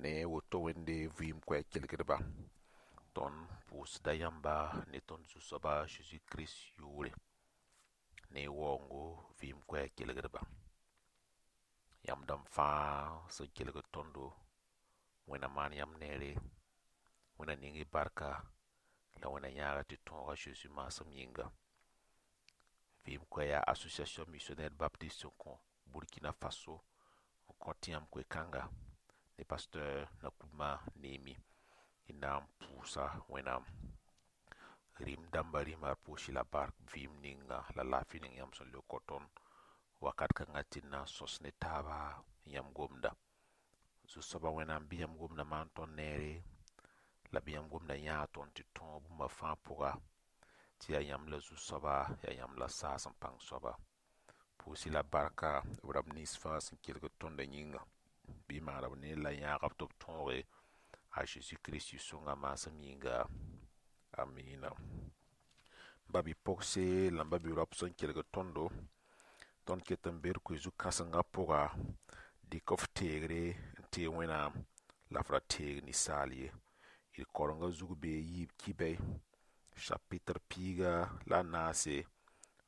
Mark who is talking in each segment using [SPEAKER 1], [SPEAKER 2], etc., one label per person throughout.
[SPEAKER 1] Ne woto Wẽnde vɩɩm koɛɛg kelgdba, tõnd pʋʋsda yãmba ne tõnd Zu-soaba Zeezi Kirist yʋʋre ne y waoongo vɩɩm koɛɛg kelgdba. Yãmb dãmb fãa sẽn kelgd tõndo, Wẽnna maan yãmb neere, Wẽnna ning y barka la Wẽnna yãaga tɩ tõog a Zeezi maasem yĩnga. Vɩɩm koɛɛg yaa Association Missionnaire Baptiste sẽn kõ Burkina Faso n kõ tɩ yãmb koe-kãnga ne pasteur Nakoulma Neemi y na n pʋʋsa Wẽnnaam. Rĩm dãmba rĩma d pʋʋs-y la bark vɩɩm ninga la laafɩ ning yãmb sẽn le kõ tõnd wakat kãngã tɩ d na n sõs ne taaba yãmb gomda. Zu-soabã Wẽnnaam bɩ yãmb gomda maan tõnd neere la bɩ yãmb gomda yãag tõnd tɩ tõog bũmba fãa pʋga tɩ yaa yãmb la Zu-soaba, yaa yãmb la saas n pãng soaba. Pʋʋs-y la barka b rãmb nins fãa sẽn kelgd tõndã yĩnga. Bɩ y maana b neer la yãag b tɩ b tõoge a Zeezi Kirist yʋ-sõnga maasem yĩnga. Amina. Ba bi-pogse la m ba bi-raop sẽn kelgd tõndo, tõnd ket n be d koe-zu-kãsengã pʋga, dɩk f teegre n teeg Wẽnnaam la f ra teeg ninsaal ye. D kaorengã zug bee yiib kibɛy chapitre piiga la a naase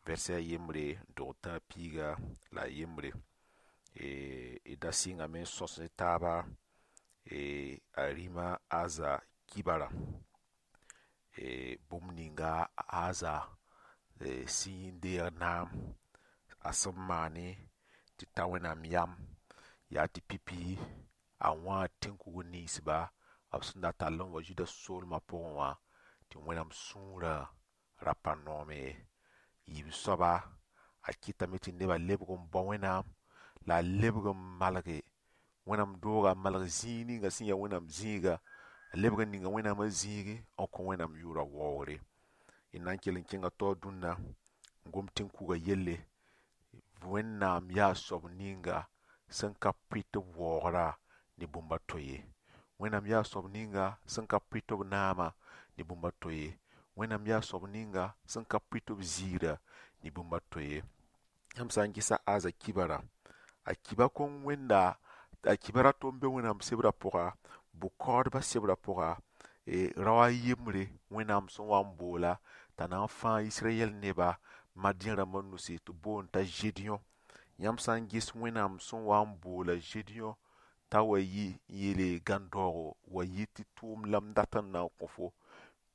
[SPEAKER 1] vɛrse a yembre n tʋg n tã piiga la a yembre. D da sɩngame n sõs ne taaba a rĩma Aza kibara, bũmb ninga Aza sẽn deeg naam a sẽn maane tɩ ta Wẽnnaam yam yaa tɩ pipi a wãa tẽn-kugr ninsba b sẽn da tall n wa Zuda soolmã pʋgẽ wã tɩ Wẽnnaam sũurã ra pa noome ye. Yiib soaba a kɩtame tɩ nebã lebg n bao Wẽnnaam la a lebg n malge Wẽnnaam dooga, a malg zĩig ninga sẽn yaa Wẽnnaam zĩiga, a lebg n ninga Wẽnnaamã zĩigi n kõ Wẽnnaam yʋʋrã waoogre. D na n kell n kẽnga taoor dũnna n gom tẽn-kuga yelle. Wẽnnaam yaa soab ninga sẽn ka pʋɩt b waoogrã ne bũmb a to ye. Wẽnnaam yaa soab ninga sẽn ka pʋɩt b naamã ne bũmb a to ye. Wẽnnaam yaa soab ninga sẽn ka pʋɩt b ziirã ne bũmb a to ye. Yãmb sã n gɩsa Aza kibara, a kiba kõn wẽnda a kiba ra to n be Wẽnnaam sebrã pʋga, bʋ-kaoodbã sebrã pʋga, rao a yembre Wẽnnaam sẽn wa n boola t'a na n fãag Israyɛl neba Madiã rãmbã nusi tɩ boond t'a Zedeõ. Yãmb sã n ges Wẽnnaam sẽn wa n boola Zedeõ t'a wa yi n yeele gãn-daoogo wa yi tɩ tʋʋm la m dat n na n kõ fo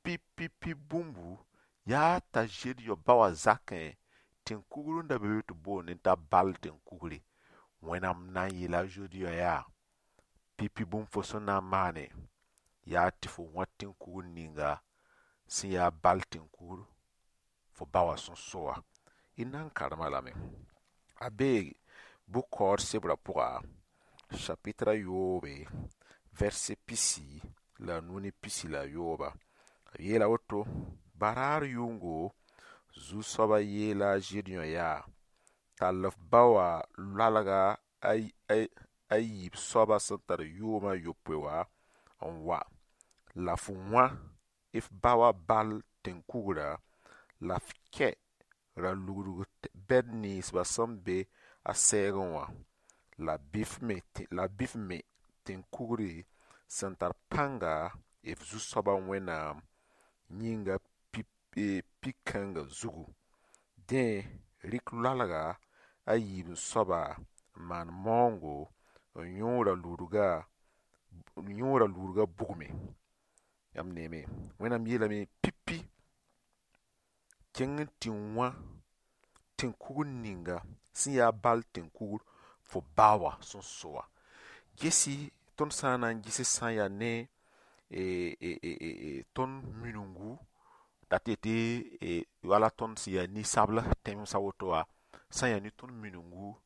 [SPEAKER 1] pi-pi-pi bũmbu yaa t'a Zedeõ ba wã zakẽ tẽn-kugr n da be be tɩ boondẽ t'a bal tẽn-kugre. Wẽnnaam na n yeela a Zedeõ yaa pipi bũmb fo sẽn na n maane yaa tɩ fo wã tẽn-kugr ninga sẽn yaa bal tẽn-kugr fo ba wã sẽn so wã. D na n karema lame. A bee bʋ-kaood sebrã pʋga, chapitre a yoobe, verse pisi la a nu ne pisi la a yooba. B yeela woto, baraar yʋngo, Zu-soabã yeela a Zedeõ yaa, tall f ba wã loalga a yiib soaba sẽn tar yʋʋm a yopoe wã n wa la f wã f ba wã bal tẽn-kugrã la f kɛ ra-lugdg bɛd ninsba sẽn be a sɛɛgẽ wã la bɩ f me tẽn-kugri sẽn tar pãnga f Zu-soabã Wẽnnaam yĩnga pi-kãngã zugu. Dẽ, rɩk loalga a yiib n soaba n maan maoongo n yõ ra-ludgã bugme. Yãmb neeme, Wẽnnaam yeelame pipi kẽng n tɩ wã tẽn-kugr ninga sẽn yaa bal tẽn-kugr fo ba wã sẽn so wã. Gesi tõnd sã n na n ges sã n yaa ne tõnd minungu dat yetɩ wala tõnd sẽn yaa ninsabl tẽmsã woto wã sã n yaa ne tõnd minungu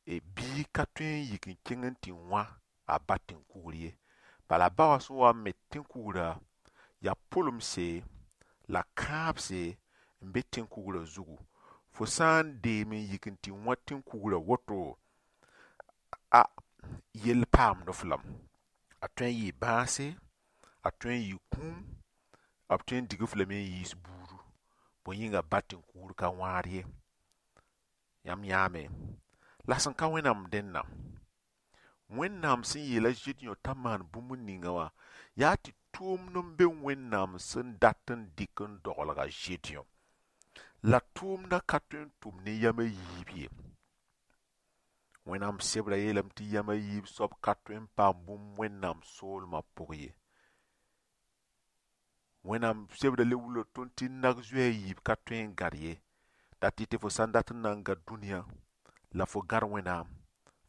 [SPEAKER 1] biig ka tõe n yik n kẽng n tɩ wã a ba tẽn-kugr ye. Bala ba wã sẽn wa n me tẽn-kugrã yaa pʋlemse la kãabse n be tẽn-kugrã zugu. Fo sã n deem n yik n tɩ wã tẽn-kugrã woto, a yell paamd f lame. A tõe n yɩɩ bãase, a tõe n yɩ kũum, b tõe n dig f lame n yiis buudu. Bõe yĩnga ba tẽn-kugr ka wãad ye. Yãmb yãame. La sẽn ka Wẽnnaam dẽnna, Wẽnnaam sẽn yeel a Zedeõ t'a maan bũmb ninga wã yaa tɩ tʋʋmd n be Wẽnnaam sẽn dat n dɩk n doglg a Zedeõ. La tʋʋmdã ka tõe n tʋm ne yam a yiib ye. Wẽnnaam sebrã yeelame tɩ yam a yiib soab ka tõe n paam bũmb Wẽnnaam soolmã pʋg ye. Wẽnnaam sebrã le wilg tõnd tɩ nag zoe a yiib ka tõe n gãd ye. Dat tɩ fo sã n dat n na n gãd dũniyã la fo gãd Wẽnnaam,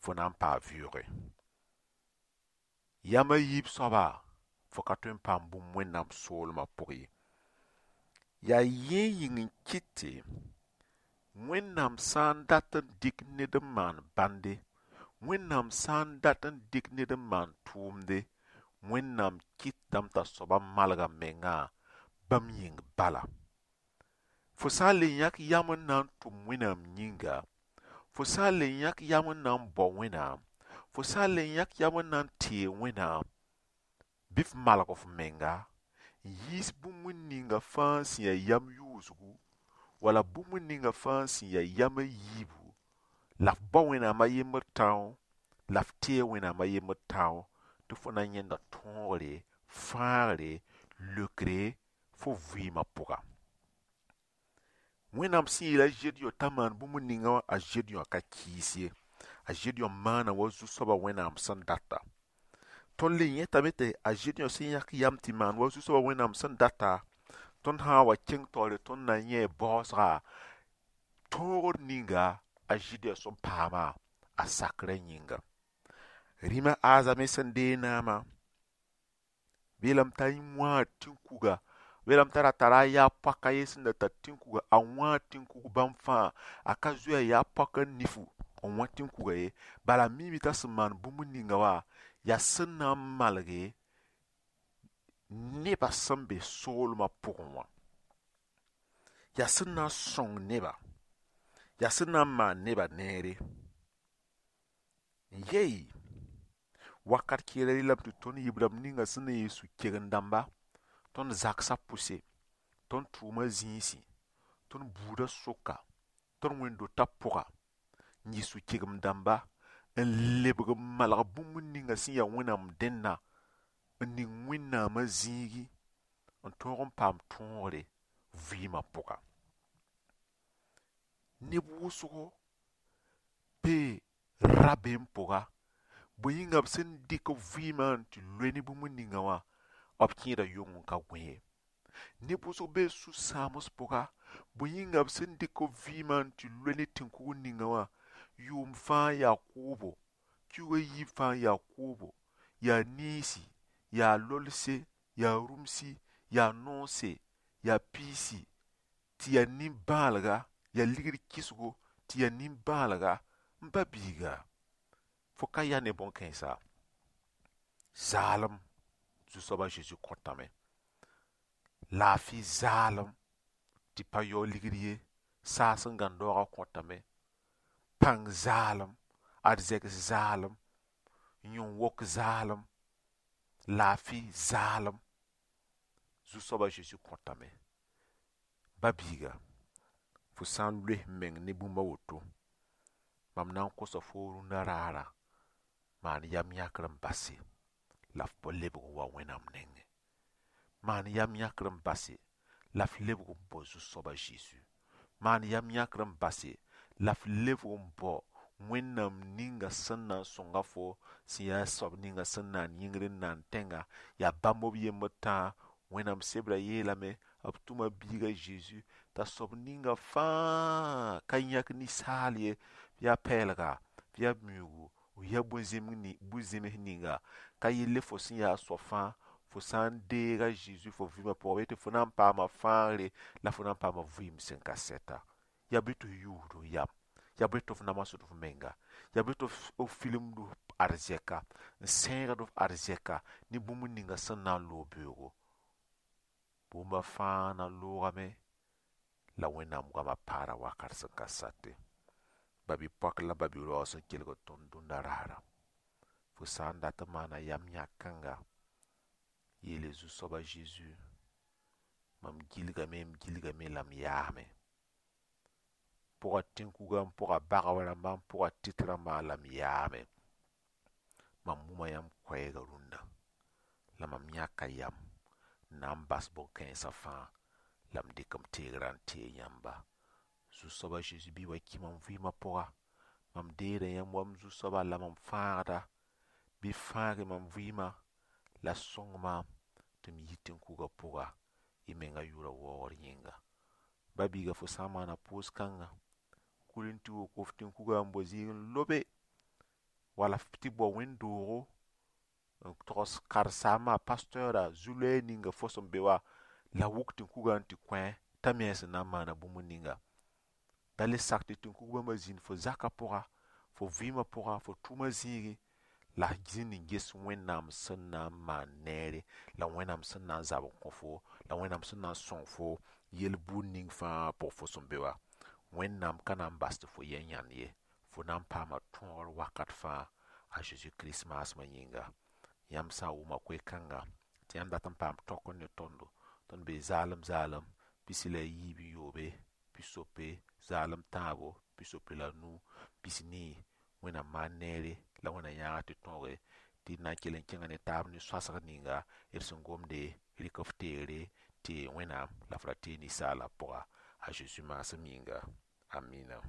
[SPEAKER 1] fo na n paa vɩʋʋge. Yam a yiib soaba, fo ka tõe n paam bũmb Wẽnnaam soolmã pʋg ye. Yaa yẽ yĩng n kɩte Wẽnnaam sã n dat n dɩk ned n maan bãnde, Wẽnnaam sã n dat n dɩk ned n maan tʋʋmde, Wẽnnaam kɩtame t'a soaba malg a mengã bãmb yĩng bala. Fo sã n le yãk yam n na n tʋm Wẽnnaam yĩnga, fo sã n le yãk yam n na n bao Wẽnnaam, fo sã n le yãk yam n na n teeg Wẽnnaam, bɩ f malg f menga n yiis bũmb ninga fãa sẽn yaa yam yʋʋsgu wala bũmb ninga fãa sẽn yaa yam a yiibu, la f bao Wẽnnaam a yembr tão, la f teeg Wẽnnaam a yembr tão, tɩ fo na n yẽnda tõogre, fãagre, leokre fo vɩɩmã pʋga. Wẽnnaam sẽn yeel a Zedeõ t'a maan bũmb ninga wã, a Zedeõ ka kɩɩs ye. A Zedeõ maana wa zu-soabã Wẽnnaam sẽn data. Tõnd le yẽtame tɩ a Zedeõ sẽn yãk yam tɩ maan wa zu-soabã Wẽnnaam sẽn data, tõnd sã n wa kẽng taoore tõnd na n yẽ baoosga tõogr ninga a Zedeõ sẽn paama a sakrã yĩnga. Rĩma Aza me sẽn deeg naamã, beelame t'a wãag tĩn-kuga, beelame t'a ra tara a yaa poaka ye sẽn da tar tĩn-kuga, a wãag tĩn-kug bãmb fãa, a ka zoe a yaa poaka nifu n wã tĩn-kuga ye. Bala a miime t'a sẽn maan bũmb ninga wã yaa sẽn na n malge nebã sẽn be soolmã pʋgẽ wã. Yaa sẽn na n sõng neba, yaa sẽn na n maan nebã neere. N yei wakat kɩɩra rɩlame tɩ tõnd yib rãmb ninga sẽn na n yɩ sũ-kegem dãmba, tõnd zagsã pʋse, tõnd tʋʋma zĩisi, tõnd buudã sʋka, tõnd wẽnd-dotã pʋga, n yɩ sũ-kegem dãmba, n lebg n malg bũmb ninga sẽn yaa Wẽnnaam dẽnna, n ning Wẽnnaamã zĩigi, n tõog n paam tõogre vɩɩmã pʋga. Neb wʋsgo bee rabeem pʋga, bõe yĩnga b sẽn dɩk b vɩɩmã n tɩ loe ne bũmb ninga wã, b kẽeda yong n ka gõ ye. Neb wʋsg bee sũ-sãams pʋga, bõe yĩnga b sẽn dɩk b vɩɩmã n tɩ loe ne tẽn-kugr ninga wã, yʋʋm fãa yaa kʋʋbo, kiuug a yiib fãa yaa kʋʋbo, yaa niisi, yaa lolse, yaa rũmsi, yaa noonse, yaa piisi, tɩ yaa nin-bãalga, yaa ligd kɩsgo, tɩ yaa nin-bãalga, n ba biiga, fo ka ya ne bõn-kãensa. Zaalem Zu-soabã Zeezi kõtame. Laafɩ zaalem tɩ pa yao ligd ye, saas n gãnd daoogã kõtame. Pãng zaalem, arzɛks zaalem, yõn-wok zaalem, laafɩ zaalem Zu-soabã Zeezi kõtame. Ba biiga, fo sã n loes meng ne bũmb a woto, mam na n kosa foo rũndã raarã, maan yam yãkr n base la f lebg n wa Wẽnnaam nengẽ. Maan yam yãkr n base la f lebg n bao Zu-soabã Zeezi. Maan yam yãkr n base la f lebg n bao Wẽnnaam ninga sẽn na n sõnga fo, sẽn yaa soab ninga sẽn naan yĩngr n naan tẽnga, yaa bãmb b yembr tãa. Wẽnnaam sebrã yeelame b tʋma biiga Zeezi t'a soab ninga fãa ka yãk ninsaal ye, yaa pɛɛlga, yaa miuugu, yaa bũn-zẽms ninga, ka yelle fo sẽn yaa soab fãa, fo sã n deega Zeezi fo vɩɩmã pʋgã, bɩ tɩ fo na n paama fãagre la fo na n paama vɩɩm sẽn ka sɛta. Yaa bɩ tɩ f yuusd f yam, yaa bɩ tɩ f namsd f menga, yaa bɩ tɩ f filmd f arzɛka, n sẽegd f arzɛka ne bũmb ninga sẽn na n loog beoogo. Bũmba fãa na n loogame la Wẽnnaam goamã paara wakat sẽn ka sate. Ba-bi-poak la ba-bi-raoog sẽn kelgd tõnd dũnna raara. Fo sã n dat n maana yam yãk kãnga, yeele Zu-soabã Zeezi, mam gilgame, m gilgame la m yaame. Pʋga tẽn-kuga n pʋga bagb rãmba n pʋga tɩt rãmba la m yaame. Mam wʋma yãmb koɛɛgã rũndã la mam yãka yam n na n bas bõn-kãensã fãa la m dɩk m teegrã n teeg yãmba. Zu-soaba Zeezi bɩ wa kɩ mam vɩɩmã pʋga. Mam deeda yãmb wa m zu-soaba la mam fãagda. Bɩ fãage mam vɩɩmã la sõng maam tɩ m yi tẽn-kugã pʋga y menga yʋʋrã waoogr yĩnga. Ba-biiga fo sã n maana pʋʋs-kãnga, kul n tɩ wok f tẽn-kugã n bao zĩig n lobe wala f tɩ bao wẽnd-doogo n togs karen-saambã pasteurã zu-loɛɛg ninga fo sẽn be wã la wʋk tẽn-kugã n tɩ kõ t'a me a sẽn na n maana bũmb ninga. Da le sak tɩ tẽn-kug bãmba zĩnd fo zakã pʋga, fo vɩɩmã pʋga, fo tʋʋmã zĩigẽ la f zĩnd n ges Wẽnnaam sẽn na n maan neere la Wẽnnaam sẽn na n zab n kõ fo la Wẽnnaam sẽn na n sõng fo yel-buud ning fãa pʋg fo sẽn be wã. Wẽnnaam ka na n bas tɩ fo yɛ yãnd ye. Fo na n paama tõogr wakat fãa a Zeezi Kirist maasmã yĩnga. Yãmb sã n wʋma koe-kãnga tɩ yãmb dat n paam tõk ne tõndo, tõnd bee zaalem zaalem pisi la yiib n yoobe, pisopoe, zaalem tãabo, pisopoe la nu, pis-nii. Wẽnnaam maan neere la Wẽnnaam yãaga tɩ tõoge tɩ d na n kell n kẽnga ne taab ne sõasg ninga d sẽn gomde rɩk f teegre tɩ Wẽnnaam la f ra teeg ninsaalã pʋga a Zeezi maasem yĩnga. Amina.